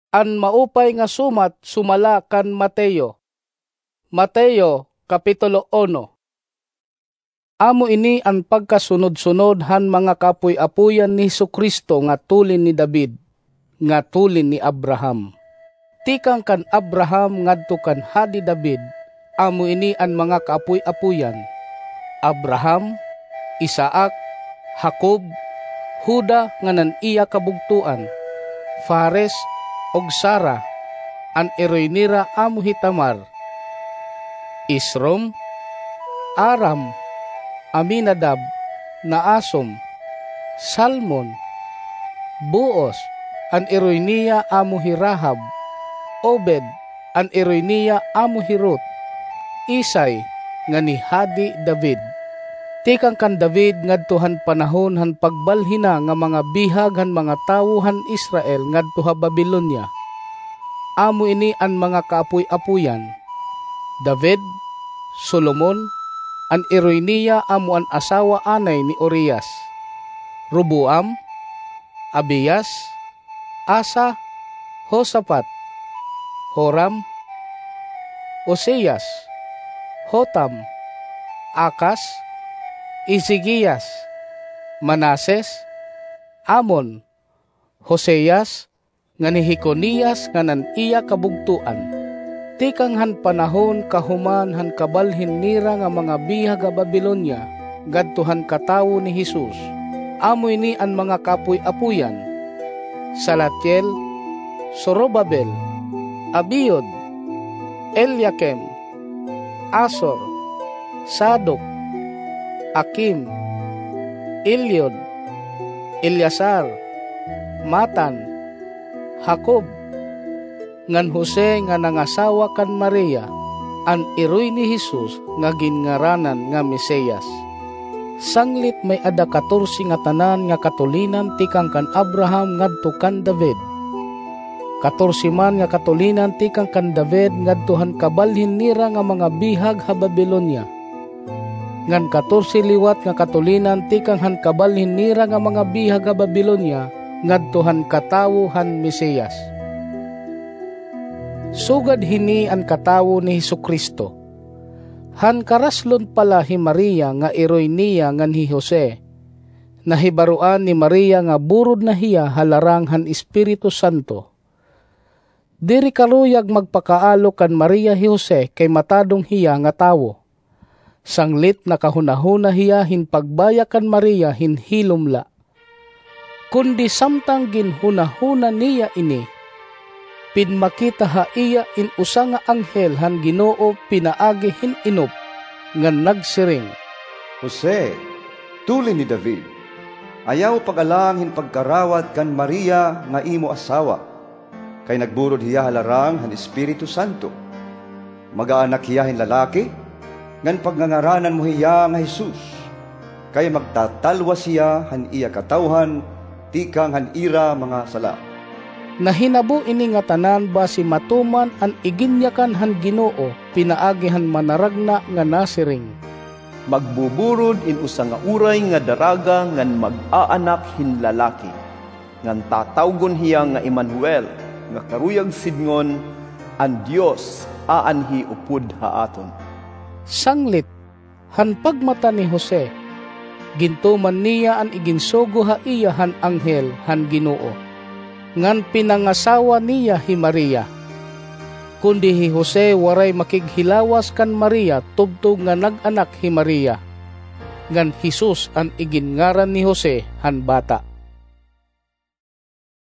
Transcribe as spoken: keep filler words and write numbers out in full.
An maupay nga sumat sumala kan Mateo. Mateo, Kapitulo uno. Amo ini an pagkasunod-sunod han mga kaapoy-apoyan ni Jesu-Cristo nga tulin ni David, nga tulin ni Abraham. Tikang kan Abraham ngadto kan Hadi David, amo ini an mga kaapoy-apoyan: Abraham, Isaac, Jacob, Juda ngan an iya kabugtoan, Fares, ug Zara, an iroy nira amo hi Tamar, Esrom, Aram, Aminadab, Naasson, Salmon, Booz, an iroy niya amo hi Rahab, Obed, an iroy niya amo hi Ruth, Isai, ngan hi Hadi David. Tikang kan David ngadto han panahon han pagbalhin na nga mga bihag han mga tawo han Israel ngadto ha Babilonia. Amo ini an mga kaapoy-apoyan: David, Solomon, an iroy niya amo an asawa anay ni Urias, Roboam, Abias, Asa, Josafat, Joram, Uzias, Jotam, Acaz, Ezekias, Manases, Amon, Josias, ngan hi Jeconias ngan an iya kabugtoan. Tikang han panahon kahuman han kabalhin nira nga mga bihag ha Babilonia ngadto han katawo ni Jesus, amo ini an mga kaapoy-apoyan: Salatiel, Zorobabel, Abiud, Eliakim, Azor, Sadok, Akim, Eliud, Eleazar, Matan, Jacob, ngan Jose nga nangasawa kan Maria, an iroy ni Jesus nga ginngaranan nga Mesias. Sanglit may-ada katorse ngatanan nga katulinan tikang kan Abraham ngadto kan David. Katorse man nga katulinan tikang kan David ngadto han kabalhin nira nga mga bihag ha Babilonia. Ngan katorse liwat nga katulinan tikang han kabalhin nira nga mga bihag ha Babilonia ngadto han katawo han Mesias. Sugad hini an katawo ni Jesu-Cristo. Han karaslon pa la hi Maria nga iroy niya ngan hi Jose, nahibaroan ni Maria nga burod na hiya ha larang han Espiritu Santo. Diri karuyag magpakaalok kan Maria hi Jose kay matadong hiya nga tawo. Sanglit nakahunahuna hiya hin pagbaya kan Maria hin hilom la. Kundi samtang ginhunahuna niya ini, pinmakita ha iya in usa nga anghel han Ginoo pinaagi hin inop, ngan nagsiring, "Jose, tulin ni David, ayaw pag-alang hin pagkarawat kan Maria nga imo asawa, kay nagburod hiya ha larang han Espiritu Santo. Mag-aanak hiya hin lalaki, ngan pagngangaranan mo hiya nga Jesus, kay magtatalwas hiya han iya katawhan tikang han ira mga sala." Nahinabo ini ngatanan basi matuman an iginyakan han Ginoo pinaagi han manaragna nga nasiring, "Magbuburod in usa nga uray nga daraga ngan mag-aanak hin lalaki, ngan tatawgon hiya nga Emmanuel, nga karuyag sidngon, an Dios aanhi upod ha aton." Sanglit, han pagmata ni Jose, gintuman niya an iginsugo ha iya han anghel han Ginoo, ngan pinangasawa niya hi Maria. Kundi hi Jose waray makighilawas kan Maria tubtob nga nag-anak hi Maria. Ngan Jesus an iginngaran ni Jose han bata.